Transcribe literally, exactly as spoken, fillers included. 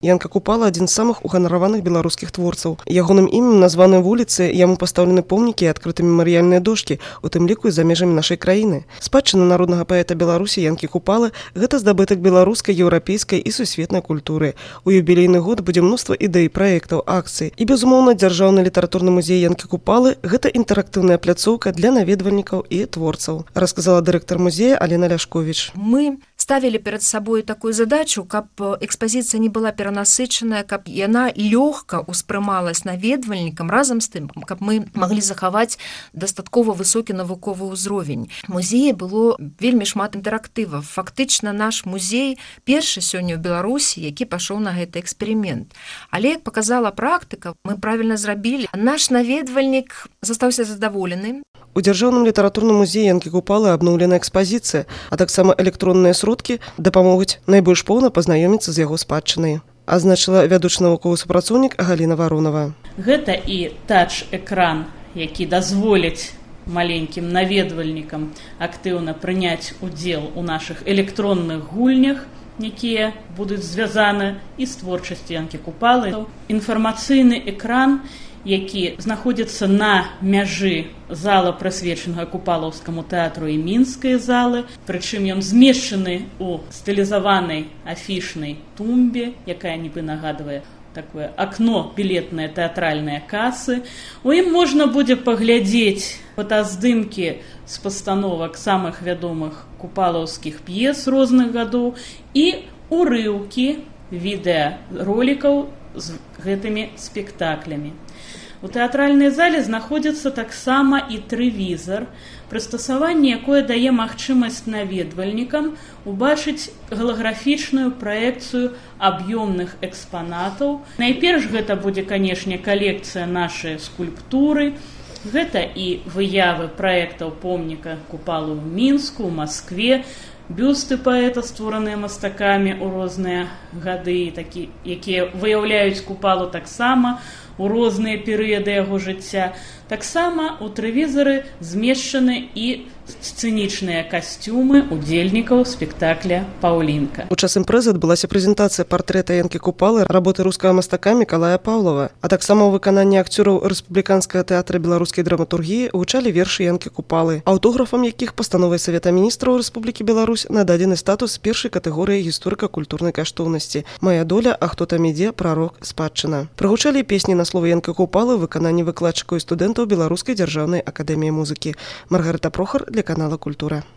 Янка Купала – адзін з самых уганараваных беларускіх творцаў. Ягоным імем названы вуліцы, яму пастаўлены помнікі і адкрыты мемарыяльныя дошкі, у тым ліку і за межамі нашай краіны. Спадчына народнага паэта Беларусі Янкі Купалы – гэта здабытак беларускай, еўрапейскай і сусветнай культуры. У юбілейны год будзе мноства ідэй, праектаў, акцый. І, безумоўна, дзяржаўны літаратурны музей Янкі Купалы – гэта інтэрактыўная пляцоўка для наведвальнікаў і творцаў, расказала дырэктар музея Алена Ляшковіч. Мы ставили перед собой такую задачу, каб экспозиция не была перанасычаная, каб яна лёгка успрымалась наведвальнікам, разам з тым, каб мы маглі захаваць дастаткова высокі навуковы ўзровень. Музеі было вельмі шмат інтэрактываў. Фактычна наш музей першы сёння ў Беларусі, які пашоў на гэты эксперымент. Але, як показала практыка, мы правільна зрабілі. Наш наведвальнік застаўся задаволены. У дзяржаўным літаратурным музеі Янкі Купалы абноўлена экспазіцыя, а таксама электронныя сродкі дапамогуць найбольш поўна пазнаёміцца з яго спадчынай, азначыла вядучы навуковы супрацоўнік Галіна Варонова. Гэта і тач-экран, які дазволіць маленькім наведвальнікам актыўна прыняць удзел у нашых электронных гульнях, якія будуць звязаны і з творчасцю Янкі Купалы. Інфармацыйны экран, які знаходзіцца на мяжы зала, прысвечанага Купалаўскаму тэатру і мінскай залы, прычым ён змешчаны ў стылізаванай афішнай тумбе, якая нібы нагадвае такое акно білетнае тэатральныя касы. У ім можна будзе паглядзець фотаздымкі з пастановак самых вядомых купалаўскіх п'ес розных гадоў і урыўкі відэаролікаў з гэтымі спектаклямі. У тэатральнай зале знаходзіцца таксама і тэлевізар, прыстасаванне якое дае магчымасць наведвальнікам убачыць галаграфічную праекцыю аб'ёмных экспанатаў. Найперш гэта будзе, канешне, калекцыя нашай скульптуры. Гэта і выявы праектаў помніка Купалы ў Мінску, ў Маскве, бюсты паэта, створаныя мастакамі ў розныя гады, такі, якія выяўляюць Купалу таксама у розныя перыяды яго жыцця. Таксама у тэлевізары змешчаны і сцэнічныя касцюмы удзельнікаў спектакля «Паўлінка». У час імпрэзы адбылася прэзентацыя партрэта Янкі Купалы, работы рускага мастака Мікалая Паўлава, а таксама ў выкананні акцёраў Рэспубліканскага тэатра беларускай драматургіі гучалі вершы Янкі Купалы, аўтографам якіх пастановай Савета міністраў Рэспублікі Беларусь нададзены статус першай катэгорыі гісторыка-культурнай каштоўнасці «Мая доля, а хто там ідзе, прарок, спадчына». Прагучалі песні на словы Янкі Купалы ў выкананні выкладчыкаў і студэнтаў Беларускай дзяржаўнай акадэміі музыкі. Маргарыта Прохар для канала «Культура».